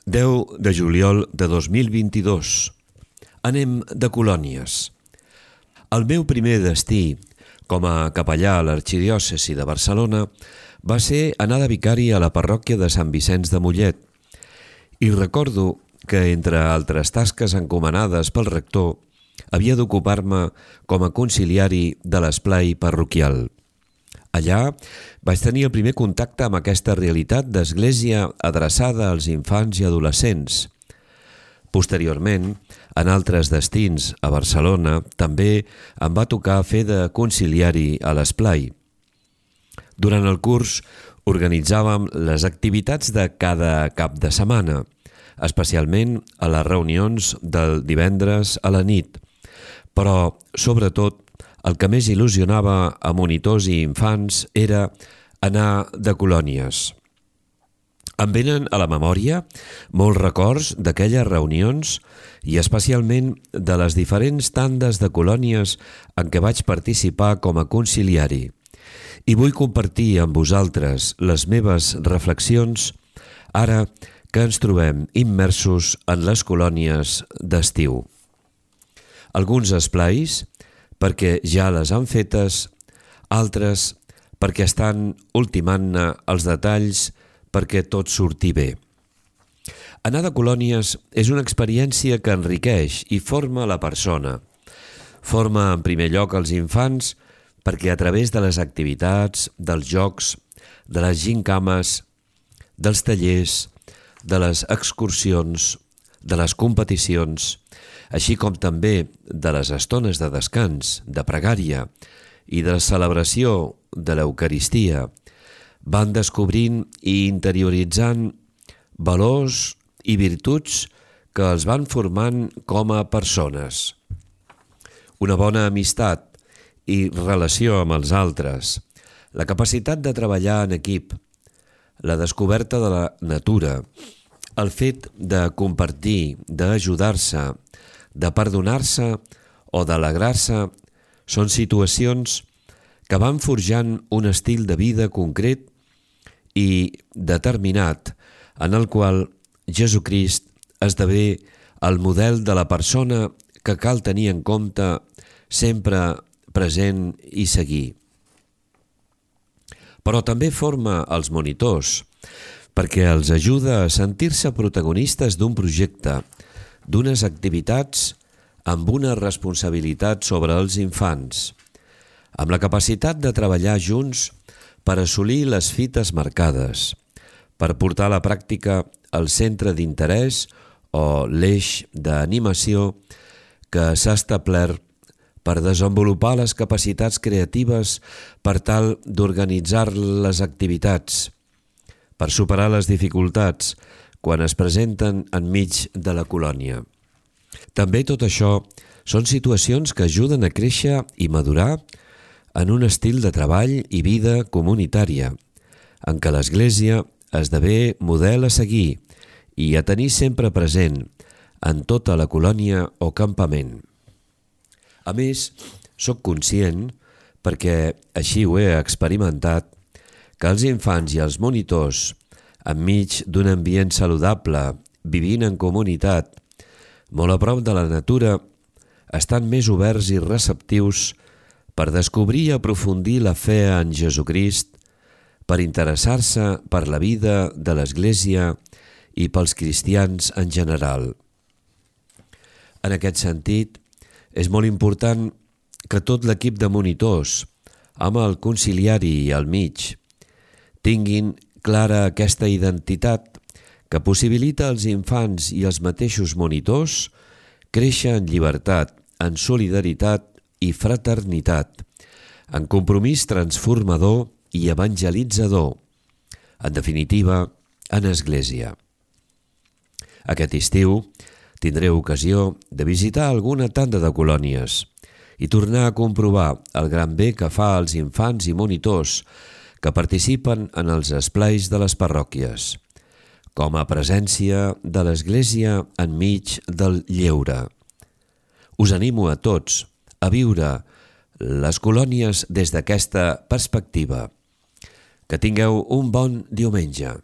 10 de juliol de 2022. Anem de colònies. El meu primer destí com a capellà a l'arxidiòcesi de Barcelona va ser anar de vicari a la parròquia de Sant Vicenç de Mollet. I recordo que, entre altres tasques encomanades pel rector, havia d'ocupar-me com a conciliari de l'esplai parroquial. Allà vaig tenir el primer contacte amb aquesta realitat d'església adreçada als infants i adolescents. Posteriorment, en altres destins a Barcelona, també em va tocar fer de conciliari a l'esplai. Durant el curs organitzàvem les activitats de cada cap de setmana, especialment a les reunions del divendres a la nit, però, sobretot, el que més il·lusionava a monitors i infants era anar de colònies. Em venen a la memòria molts records d'aquelles reunions i especialment de les diferents tandes de colònies en què vaig participar com a conciliari. I vull compartir amb vosaltres les meves reflexions ara que ens trobem immersos en les colònies d'estiu. Alguns esplais perquè ja les han fetes, altres perquè estan ultimant-ne els detalls perquè tot surti bé. Anar de colònies és una experiència que enriqueix i forma la persona. Forma en primer lloc els infants perquè a través de les activitats, dels jocs, de les gincames, dels tallers, de les excursions, de les competicions, així com també de les estones de descans, de pregària i de la celebració de l'Eucaristia, van descobrint i interioritzant valors i virtuts que els van formant com a persones. Una bona amistat i relació amb els altres, la capacitat de treballar en equip, la descoberta de la natura, el fet de compartir, d'ajudar-se, de perdonar-se o d'alegrar-se són situacions que van forjant un estil de vida concret i determinat en el qual Jesucrist esdevé el model de la persona que cal tenir en compte sempre present i seguir. Però també forma els monitors perquè els ajuda a sentir-se protagonistes d'un projecte, d'unes activitats amb una responsabilitat sobre els infants, amb la capacitat de treballar junts per assolir les fites marcades, per portar a la pràctica el centre d'interès o l'eix d'animació que s'ha establert per desenvolupar les capacitats creatives per tal d'organitzar les activitats, per superar les dificultats quan es presenten enmig de la colònia. També tot això són situacions que ajuden a créixer i madurar en un estil de treball i vida comunitària, en què l'Església esdevé model a seguir i a tenir sempre present en tota la colònia o campament. A més, sóc conscient, perquè així ho he experimentat, que els infants i els monitors, enmig d'un ambient saludable, vivint en comunitat, molt a prop de la natura, estan més oberts i receptius per descobrir i aprofundir la fe en Jesucrist, per interessar-se per la vida de l'Església i pels cristians en general. En aquest sentit, és molt important que tot l'equip de monitors, amb el conciliari al mig, tinguin clara aquesta identitat que possibilita als infants i als mateixos monitors créixer en llibertat, en solidaritat i fraternitat, en compromís transformador i evangelitzador, en definitiva, en Església. Aquest estiu tindré ocasió de visitar alguna tanda de colònies i tornar a comprovar el gran bé que fa als infants i monitors que participen en els esplais de les parròquies, com a presència de l'Església enmig del lleure. Us animo a tots a viure les colònies des d'aquesta perspectiva. Que tingueu un bon diumenge.